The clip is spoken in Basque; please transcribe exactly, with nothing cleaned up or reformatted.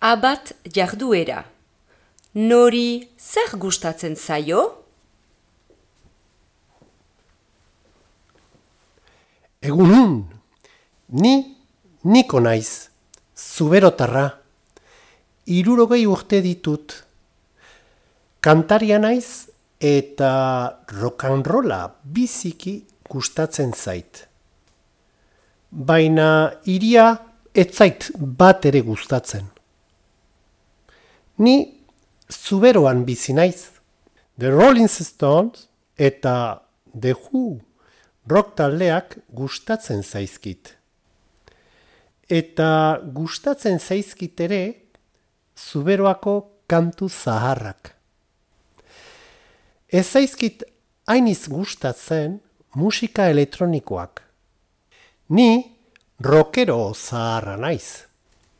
Abat jarduera. Nori zer gustatzen zaio? Egunon, ni niko naiz, zuberotarra. Hirurogei urte ditut. Kantaria naiz eta rock'n'rolla biziki gustatzen zait. Baina hiria ez zait bat ere gustatzen. Ni zuberoan bizi naiz. The Rolling Stones eta The Who rock taldeak gustatzen zaizkit. Eta gustatzen zaizkit ere zuberoako kantu zaharrak. Ez zaizkit hainiz gustatzen musika elektronikoak. Ni rockero zaharra naiz.